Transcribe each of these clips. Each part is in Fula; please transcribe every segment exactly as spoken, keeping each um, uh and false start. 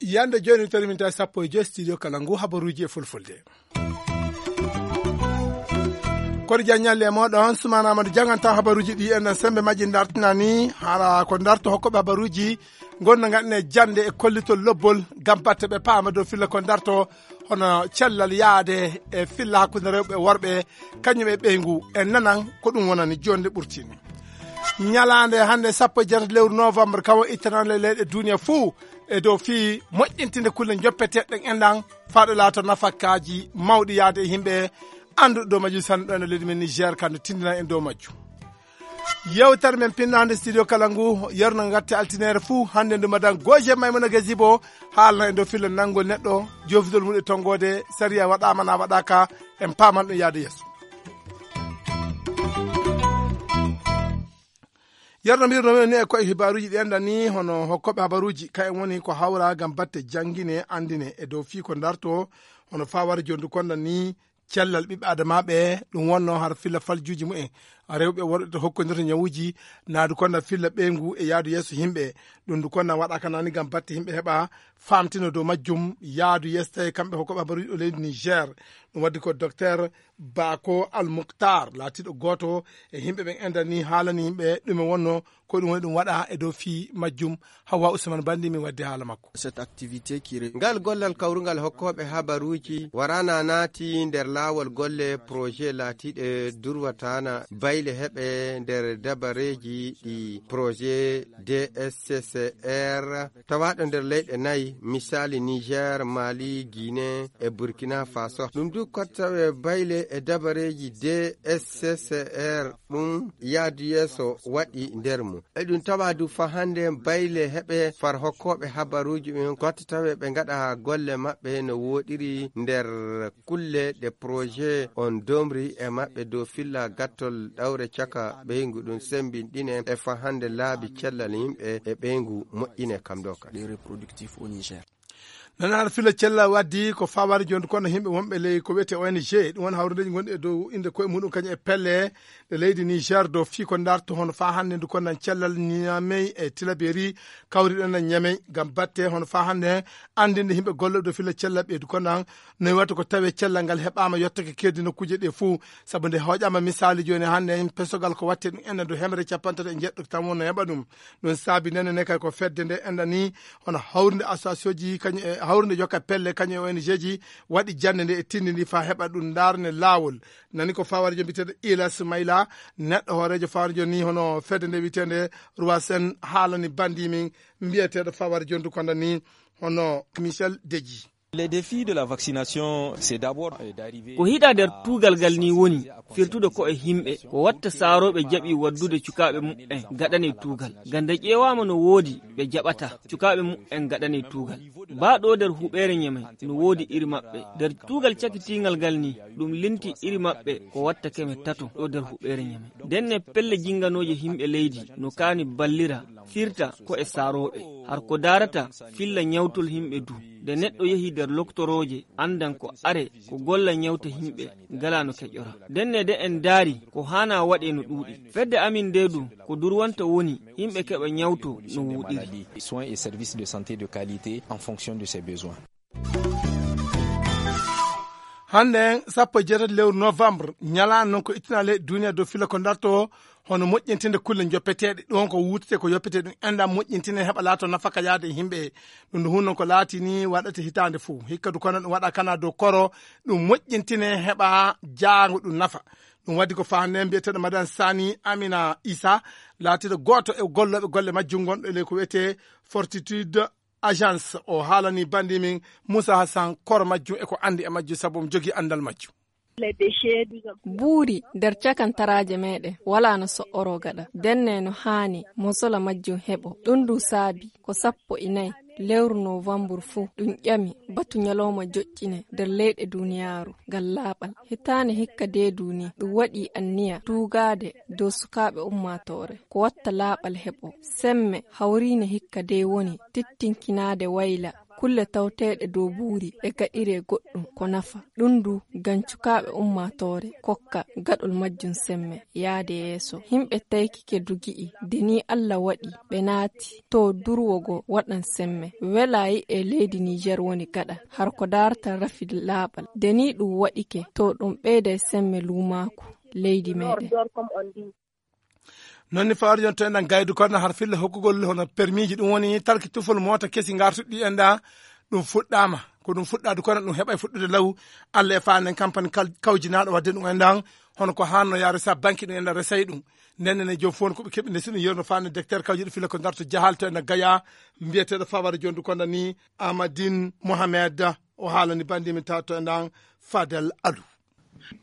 Yande jooni, tawi min tawi sappo e joy studio kala ngu habaruuji e fulfulde. Koɗo Diagne Ñalle e mooɗon, Sumaana Amadou janganta habaruuji ɗi en sembe majji dartinani, hara ko darto hokkoɓe habaruuji, ngonno ngaɗne jannde e kollitol lobbol, ngam batte ɓe paama dow filla ko darto, hono cellal yaade e filla hakkunde rewɓe e worɓe, kañum e ɓeyngu, en nanan ko ɗum wonani jonde ɓurtini. Ñalaande hannde sappo e jeetati lewru novembre, kawo ittanande leyɗe duniya fuu, e dow fii moƴƴintinde kulle njoppeteeɗe ɗen enɗan, faaɗo laato nafakaaji mawɗi yaade e yimɓe annduɗo dow majjum sanne ɗo e nder leydi men Niger, ka no tindina en dow majjum. Yewtere men pinnaande studio kala ngu, yerno ngatte altineere fuu, hannde ndu madan Goje Maymuna Gazibo, haalna en dow filla nanngol neɗɗo, joofidol mum e tonngoode, sariya waɗaama na waɗaaka, en paaman ɗum yaade yeeso. Yerno mbirno men ni e koye hibaaruuji ɗi enɗan ni, hono hokkoɓe habaruuji, ka en woni ko hawra ngam batte janngine, anndine e dow fii ko darto, hono faa wara jondu konɗan ni, cellal ɓiɓɓe adamaaɓe, ɗum wonno har filla faljuuji mumen, rewɓe e worɓe to hokkondirta ñawuuji, naadu konɗan filla ɓeyngu e yaadu yeeso yimɓe, ɗum ndu konɗan waɗaaka nani ngam batte yimɓe heɓa faamtino dow majjum, yaadu yeeso tawi kamɓe hokkoɓe habaruuji ɗo leydi Niger, ɗum waddi ko Docteur Bako Al Mukhtar, laatiiɗo gooto e yimɓe ɓen enɗan ni, haalani yimɓe ɗume wonno, ko ɗum woni ɗum waɗa e dow fii majjum. Hawwa Usman Bandi min waddi haala makko. Cette activité qui re- Ngal gollal kawrungal hokkooɓe habaruuji waraana naati nder laawol golle projet laatiiɗe durwataana bayle heɓe nder dabareeji ɗi projet D S C C R tawaaɗo nder leyɗe nayi, misaali Niger, Mali, Guinée e Burkina Faso. Ɗum du ko tawe bayle e dabareeji D S C C R ɗum yaadu yeeso waɗi nder mum. Eɗum tawa du fa hannde bayle heɓe far hokkooɓe habaruuji ɓen, ko tawe ɓe ngaɗa golle maɓɓe no wooɗiri nder kulle ɗe projet on domri e maɓɓe dow filla gattol ɗawre caka ɓeyngu ɗum sembinɗine e fa hannde laabi cellal yimɓe e ɓeyngu moƴƴine kam ɗo ka. Les reproductifs au Niger. Nana har filla cella waddi ko fawaade jonde kono yimɓe wonɓe ley ko wiyetee O N G, ɗum woni hawrindeeji gonɗi e dow innde koye muɗum kañum e pelle ɗe leydi Niger dow fii ko darto hono faa hannde ndu konnan cellal Niamey e Tilaberi kawriɗen e Niamey ngam batte hono faa hannde anndinde yimɓe gollooɓe dow filla cella ɓeydu konnan no watta ko tawee cellal ngal heɓaama yottake keerdi nokkuuje ɗe fuu. Sabu nde hooƴaama misaali jooni hannde, pesogal ko watte ɗum enen dow hemre capantato e jeɗɗo tan wonno heɓa ɗum. Ɗum saabi nene ne kay ko fedde nde enɗani hono hawrinde associationji kañum e hawrinde jokka pelle kañum e O N G ji waɗi jannde nde e tindini faa heɓa ɗum ndaarne laawol. Nani ko fawaade jooni mbiyeteeɗo Ilas Mayla, neɗɗo hooreejo fawaade jooni ni hono fedde nde wiyeteende Roi Sen haalani bandi min mbiyeteeɗo fawaade jooni du konda ni hono Michel Deji. Les défis de la vaccination, c'est d'abord, euh, d'arriver ko hiɗa nder tuugal ngal ni woni firtude ko e yimɓe ko watta saarooɓe jaɓi waddude cukaaɓe muɓɓen gaɗane tuugal. Ngam nde ƴeewaama no woodi ɓe jaɓata cukaaɓe muɓɓen gaɗane tuugal. Baa ɗo nder huɓeere Ñamey no woodi iri maɓɓe. Nder tuugal cakitiingal ngal ni ɗum linti iri maɓɓe ko watta keme tato ɗo nder huɓeere Ñamey. Ndenne pelle jinnganooje yimɓe leydi no kaani ballira firta ko e saarooɓe. Har ko daarata filla ñawtol yimɓe du. Nde neɗɗo yehi nder loktorooje anndan ko are ko golla ñawta yimɓe ngalaa no keƴora. Ndenne de en ndaari ko haana waɗee no ɗuuɗi. Fedde amin nde du ko durwanta woni yimɓe keɓa ñawto no wooɗiri. Soins et services de santé de qualité en fonction de ses besoins. Hannde sappo e jeetati lewru novembre, ñalaande non ko ittina leyɗe duniya dow filla ko darto hono moƴƴintinde kulle joppeteeɗe. Ɗon ko wuutete ko yoppete ɗum enɗam moƴƴintine heɓa laato nafaka yaade e yimɓe. Ɗum ndu hunno ko laatini waɗata hitaande fuu. Hikka du kono ɗum waɗa kana dow koro, ɗum moƴƴintine heɓa jaango ɗum nafa. Ɗum waddi ko faande mbiyeteeɗo Madan Sani Amina Isa, laatiiɗo gooto e gollooɓe golle majjum gonɗo e ley ko wiyetee Fortitude Agence. O haalani bandi min Moussa Hassan koro majjum e ko anndi e majjum sabu omo jogii anndal majjum. Buuri nder cakantaraaje meɗen walaa no so'oroo gaɗa. Denne no haani mosola majjum heɓo. Ɗum du saabi ko sappo e nayi lewru novambur fuu ɗum ƴami batu ñalawma joƴƴine nder leyɗe duniyaaru ngal laaɓal. Hitaande hikka dee duni ɗum waɗi anniya tuugaade dow sukaaɓe ummaatoore ko watta laaɓal heɓo. Semme hawriine hikka dee woni tittinkinaade wayla Kulle tawteeɗe dow buuri e gaɗiree goɗɗum ko nafa. Ɗum du, ngam cukaaɓe ummaatoore kokka gaɗol majjum semme yaade yeeso. Yimɓe taykike du gi'i, de ni Alla waɗi ɓe naati to durwo go waɗan semme. Welaayi e leydi Niijeer woni gaɗa, har ko daarta rafi laaɓal. De ni ɗum waɗike, to ɗum ɓeyday semme luumaaku leydi meeɗen. Non ni fawari jonto enɗan gaydu kono har filla hokkugol hono permiji, ɗum woni talki tufol mota kesi ngartuɗi enɗa. Ɗum fuɗɗama ko ɗum fuɗɗade kono ɗum heɓa e fuɗɗude law. Allah e fa nden kampani kal- kawjinaɗo wadde ɗum enɗan, hono ko hanno yaare sa banki ɗum enɗan resay ɗum. Nden ne joom fof ko ɓe keɓi nde siɗum yerno fa nde docteur kawjiɗo filla ko ngarto jahal to enɗan gaya, mbiyeteɗo fawari jondu kono ni Amadine Mohamed. O haalani bandi min taw to enɗan Fadel Alou.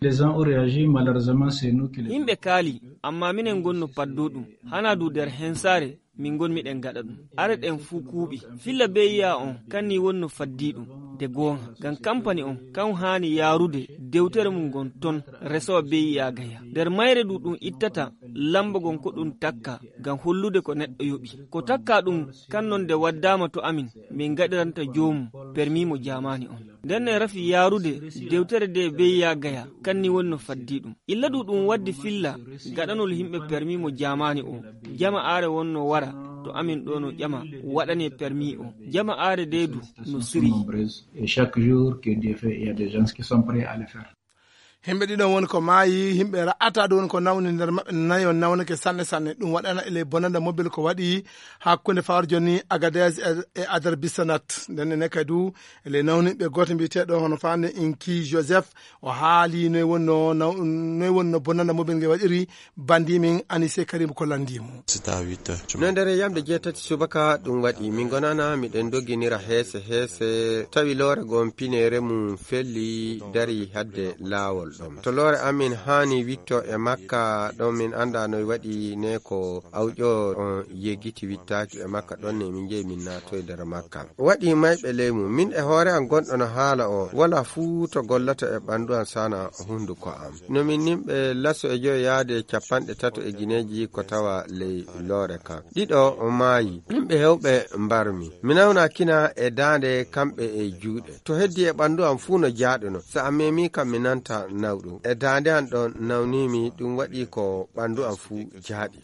Les gens ont réagi, malheureusement, c'est nous qui les... Yimɓe kaali, amma minen ngonno paddo ɗum. Hana du nder hensaare, min ngon miɗen gaɗa ɗum. Are ɗen fuu kuuɓi. Filla beyiya on, kan ni wonno faddi ɗum. De goonga, ngam kampani on, kan haani yaarude dewtere mum ngon ton, resowa beyiya gaya. Nder mayre du ɗum ittata, lamba gon ko ɗum takka, ngam hollude ko neɗɗo yoɓi. Ko takka ɗum, kan non nde waddama to amin, min gaɗiranta joomum permi mo jaamaani on. Nden ne rafi yaarude dewtere de beyiya gaya, kan ni wonno faddi ɗum. Illa du ɗum waddi filla gaɗanol yimɓe permi mo jaamaani o. Jama are wonno wara to amin ɗo no ƴama waɗane permi o. Jama are de du no siri. Et chaque jour que Dieu fait, il y a des gens qui sont prêts à le faire. Himɓe ɗiɗon woni ko maayi, himɓe ra'ata ɗum woni ko nawni nder maɓɓe nayo nawnake sanne sanne. Ɗum waɗana e ley bonanda mobile ko waɗi hakkunde fawar joni Agadez e, e Adar Bisanat. Nden ne kadi du e ley nawniɓe gooto mbiyeteeɗo hono faande Inki Joseph, o haali noy wonno naw-, noy wonno bonanda mobile nge waɗiri. Bandi min Anise Karim ko landi mo. No nder yamde jeetati subaka ɗum waɗi, min gonana miɗen doginira heese heese, tawi loore gon pineere mum felli dari hadde laawol ɗon. To loore amin haani witto e makka ɗon, min annda no waɗi ne ko awƴo on yeggiti wittaaki e makka ɗon ne min jeyi min naatoy nder makka. Waɗi mayɓe ley mum, min e hoore an gonɗo no haala o, wala fuu to gollata e ɓandu an sana hunduko am. No min nimɓe laso e joyo yaade capanɗe tato e gineeji ko tawa ley loore kan. Ɗiɗo o maayi, yimɓe hewɓe mbarmi. Mi nawna kina e daande kamɓe e juuɗe. To heddi e ɓandu am fuu no jaaɗuno. So a memi kam mi nanta nawɗum. E daande an ɗon nawnimi ɗum waɗi ko ɓandu am fuu jaaɗi.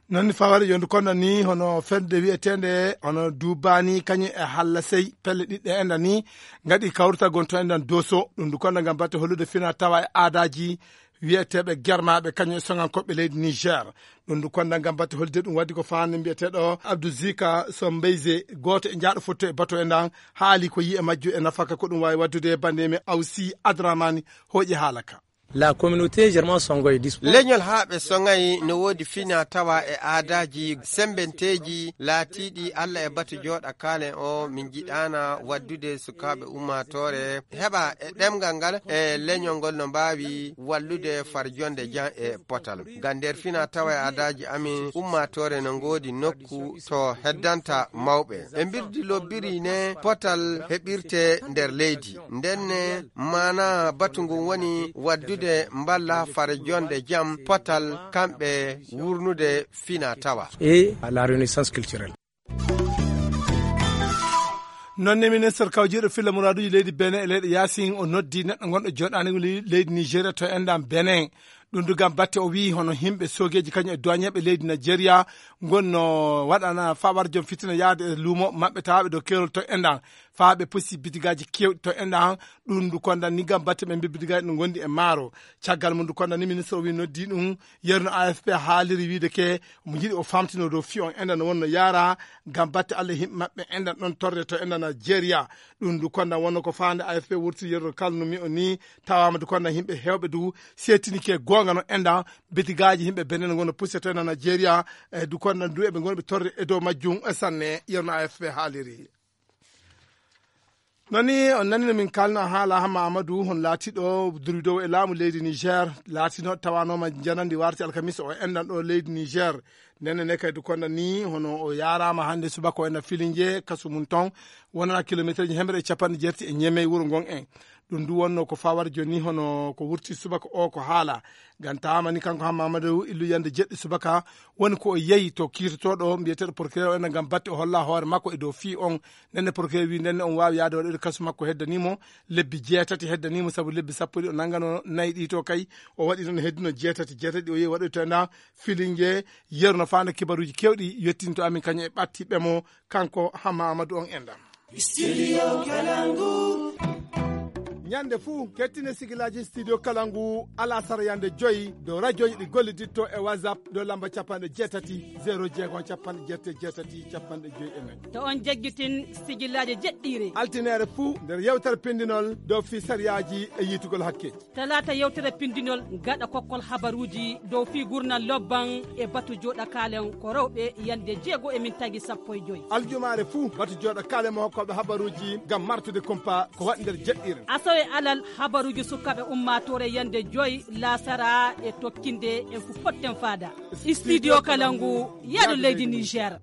Non ni fawari yondu kono ni hono fedde wi'eteende hono Duubaani kañum e Hallasey pelle ɗiɗɗe enda ni ngaɗi kawrita gonto endan Doso. Ɗum du kono ngam batte hollude fina tawa e aadaaji wi'eteeɓe germaaɓe kañum e soŋankoɓe leydi Niger. Ɗum du kono ngam batte hollude ɗum waddi ko faande mbi'eteeɗo Abdou Zika Sombeyze, gooto e njaaɗo fotto e bato endan, haali ko yi'e majjo e nafaka ko ɗum waawi waddude. Bande men Awsi Adramani hooƴi haala ka. La communauté germain songoy dis- Leñol haa ɓe soŋayi no woodi fina tawa e aadaaji sembenteeji laatiiɗi Alla e batu jooɗa kaalen o. Min njiɗaana waddude sukaaɓe ummaatoore heɓa e ɗemngal ngal e leñol ngol no mbaawi wallude farjonde jam e potal. Ngam nder fina tawa e aadaaji amin ummaatoore no ngoodi nokku to heddanta mawɓe. Ɓe mbirdi lobbiri ne potal heɓirte nder leydi. Nden ne maana batu ngun woni waddude mballa fare jonde jam potal kamɓe wurnude fina tawa. Et à la renaissance culturelle. Non ne ministre kawjiiɗo filla muraaduuji leydi Benin e leyɗe yaasin o noddi neɗɗo gonɗo jooɗaani leydi Nigeria to enɗam Benin. Ɗum du ngam batte o wiyi hono yimɓe soogeeji kañum e duwañeeɓe leydi Nigeria ngon no waɗana fawar joom fitina yahde e luumo maɓɓe tawaɓe dow keerol to enɗam. Faa ɓe pusi bidigaaji keewɗi to enɗam. Ɗum du kondan ni ngam batte ɓe mbi bidigaaji no ngondi e maaro. Caggal mum du kondan ni ministre o wi noddi ɗum yerno A F P haaliri wiide ke mo jiɗi o famtino dow fi on enɗam no wonno yaara ngam batte Allah e yimɓe maɓɓe enɗam ɗon torre to enɗam Nigeria. Ɗum du kondan wonno ko faande A F P wurti yerno kalnumi o ni. Tawaama du kondan yimɓe heewɓe du seetini ke goonga no enɗam bidigaaji yimɓe Benin ngono puseto enɗam Nigeria. E du kondan du eɓe ngoni ɓe torre e dow majjum e sanne yerno A F P haaliri. Non ni on nani no min kalno haala Hamma Amadou hon laatiɗo durwidowo e laamu leydi Niger, laatino tawanooma janandi warti alkamisa o enɗan ɗo leydi Niger. Nenne ne kay du konda ni hono o yaarama hannde subaka o enɗan Filinje kasu mum ton wonana kilometre ji hemre e capanɗe jeetati e ñemey wuro ngon en. Ɗum ndu wonno ko fawar jooni, hono ko wurti subaka o ko haala. Ngam tawaama ni, kanko Hamma Amadou, illu yande jeɗɗi subaka, woni ko o yehi to kiitotooɗo mbiyeteeɗo procureur o, ena ngam batte o holla hoore makko e dow fii on. Ndenne procureur wi ndenne on waawi yaade waɗoyde kasu makko heddanii mo lebbi jeetati, heddanii mo sabu lebbi sappo ɗi o nanngano nayi ɗi to kay, o waɗi noon heddino jeetati, jeetati ɗi o yehi waɗoyde to ena Filinge. Yeru no faanda kibaruuji keewɗi yettinto amin kañum e ɓattiɓe mo, kanko Hamma Amadou on enɗam. Studio Kalangu. Ñande fuu, kettine sigilaaji Studio Kalangu, alasara yande joyi, dow rajooji ɗi golliditto e WhatsApp, dow lamba capanɗe jeetati, zéro jeegom, capanɗe jeetati, jeetati, capanɗe joyi e nayi. To on jaggitin sigilaaji jeɗɗiire. Altineere fuu, nder yewtere pindinol dow fii sariyaaji e yiitugol hakke. Talaata yewtere pindinol gaɗa kokkol habaruuji dow fii gurnal lobban e batu jooɗa kaalen ko rewɓe yande jeego e min tagi sappo e joyi. Aljumaare fuu batu jooɗa kaalen mo hokkooɓe habaruuji ngam martude kumpa ko waɗi nder jeɗɗiire. Asawe alal habaruuji sukaaɓe ummaatoore yande joyi laasara e tokkinde en fu potten faada. Studio Kalangu, yaadu leydi Niger.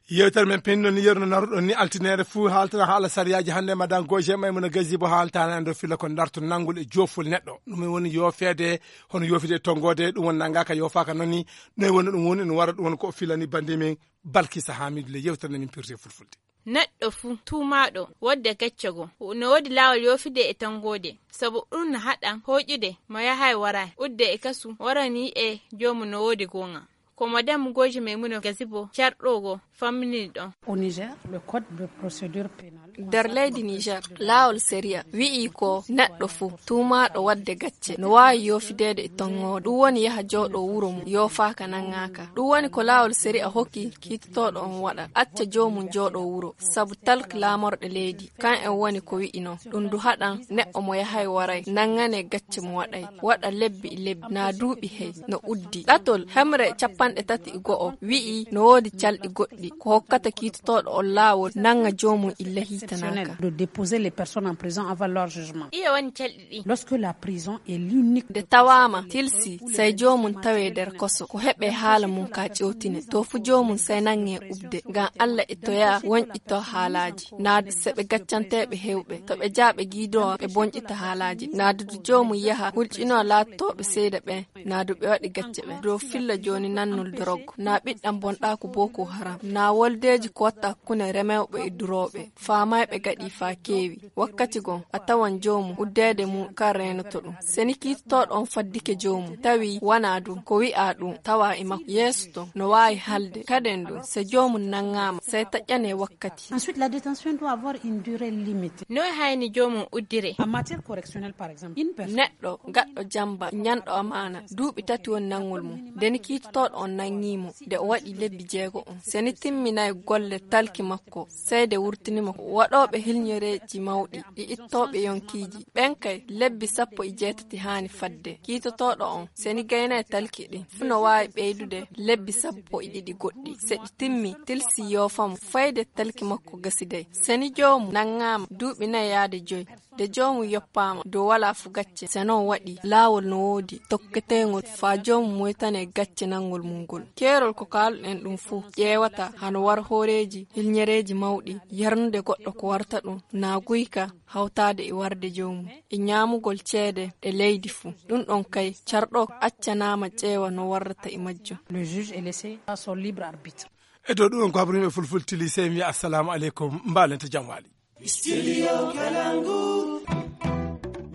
Yewtere men pindi noon ni, yeru no naruɗon ni, altineere fuu haaltana haala sariyaaji. Hannde madan Goje Maymuna Gazibo haaltana en dow filla ko darto nanngol e joofol neɗɗo. Ɗum woni yoofeede, hono yoofeede e tonngoode, ɗum woni nanngaaka yoofaaka noon ni. Noy woni ɗum woni, no wara ɗum woni ko o filani bannde men Balkisa Hamidu le yewtere nde min pirti e fulfulde. Neɗɗo fuu tuumaaɗo wodde gacce goo, no woodi laawol yoofude e tonngoode, sabu ɗum no haɗa hooƴude mo yahay waray, udde e kasu, warani e joomum no woodi goonga. Ko madam Goje Maymuna Gazibo, carɗo goo, famminii ɗon. Au Niger, le code de procédure pénale. Nder leydi Niger, laawol sariya wi'i ko neɗɗo fuu tuumaaɗo wadde gacce no waawi yoofideede e tonngoode. Ɗum woni yaha jooɗo wuro mum, yoofaaka, nanngaaka. Ɗum woni ko laawol sariya hokki kiitotooɗo on waɗa, acca joomum jooɗo wuro, sabu talk laamorɗe leydi. Kan en woni ko wi'i non. Ɗum du haɗan neɗɗo mo yahay waray, nanngane gacce mo waɗay, waɗa lebbi e lebbi, naa duuɓi hey, no uddi. Ɗatol hemre capanɗe tati e go'o wi'i no woodi calɗi goɗɗi ko hokkata kiitotooɗo on laawol nannga joomum illa hiitanaaka. De déposer les personnes en prison avant leur jugement. Ɗiye woni calɗi ɗi? Lorsque la prison est l'unique. Nde tawaama tilsi, sey joomum tawee nder koso, ko heɓee haala mum ka ƴewtine. To fu joomum sey nanngee ubde, ngam Alla e toya wonƴito haalaaji. Naa du se ɓe gaccanteeɓe heewɓe, to ɓe jaa ɓe giidoo ɓe bonƴita haalaaji. Naa du du joomum yaha hulƴinoo laatotooɓe seeɗa ɓeen, naa du ɓe waɗi gacce ɓeen. Dow filla jooni nannol dorog, naa ɓiɗɗam bonɗaaku Boko Haram, naa woldeeji ko watta hakkunde remewɓe e durooɓe, faamayɓe gaɗi faa keewi. Wakkati goo, a tawan joomum uddeede mum kan reenoto ɗum. Seni kiitotooɗo on faddike joomum, tawi wanaa ɗum, ko wi'aa ɗum tawa e makko. Yeeso ton, no waawi halde. Kaden ɗum, se joomum nanngaama, sey taƴƴanee wakkati. Ensuite, la détention doit avoir une durée limitée. No hayni joomum uddire? En matière correctionnelle, par exemple, une personne. Neɗɗo gaɗɗo jamba, ñanɗo amaana, duuɓi tati woni nanngol mum. Nde ni kiitotooɗo on nanngii mo, nde o waɗi lebbi jeego on. Seni timminay golle talki makko, sey nde wurtini mo. Waɗooɓe hilñereeji mawɗi, e ittooɓe yonkiiji, ɓen kay, lebbi sappo e jeetati haani fadde. Kiitotooɗo on, seni gaynay talki ɗin, fu no waawi ɓeydude lebbi sappo e ɗiɗi goɗɗi. Se ɗi timmi, tilsi yoofa mo, fayde talki makko gasiday. Seni joomum nanngaama duuɓi nay yaade joy. Nde joomum yoppaama dow walaa fu gacce, se non waɗi, laawol no woodi tokketeengol faa joomum moytanee gacce nanngol mum ngol. Keerol ko kaaluɗen ɗum fuu ƴeewata hano war hooreeji, hilñereeji mawɗi, yarnude goɗɗo ko warta ɗum, naa guyka, hawtaade e warde joomum, e ñaamugol ceede ɗe leydi fuu. Ɗum ɗon kay, carɗo accanaama ƴeewa no warrata e majjum. Le juge est laissé à son libre arbitre. E dow ɗum en ko habrimi e fulfulde tili, sey mi wiya assalamu aleykum, mbaalen to jam waali. Studio Kalangu.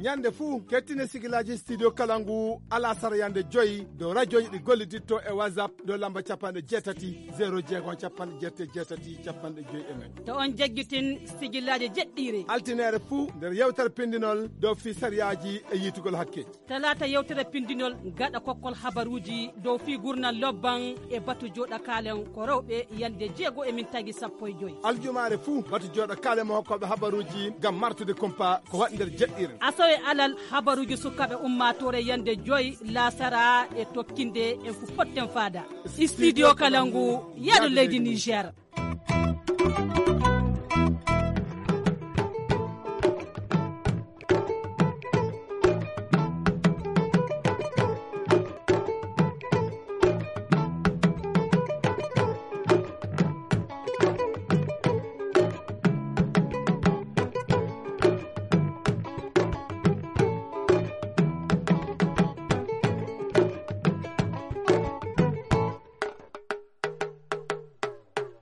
Ñande fuu, kettine sigilaaji Studio Kalangu, alasara yande joyi, dow rajooji ɗi golliditto e WhatsApp, dow lamba capanɗe jeetati, zéro jeegom, capanɗe jeetati, jeetati, capanɗe joyi e nayi. To on jaggitin sigilaaji jeɗɗiire. Altineere fuu, nder yewtere pindinol dow fii sariyaaji e yiitugol hakke. Talaata yewtere pindinol gaɗa kokkol habaruuji dow fii gurnal lobban e batu jooɗa kaalen ko rewɓe yande jeego e min tagi sappo e joyi. Aljumaare fuu, batu jooɗa kaalen mo hokkooɓe habaruuji ngam martude kumpa ko waɗi nder jeɗɗiire. Asawe alal habaruuji sukaaɓe ummaatoore yande joyi laasara e tokkinde en fu potten faada. Studio Kalangu, yaadu leydi Niger.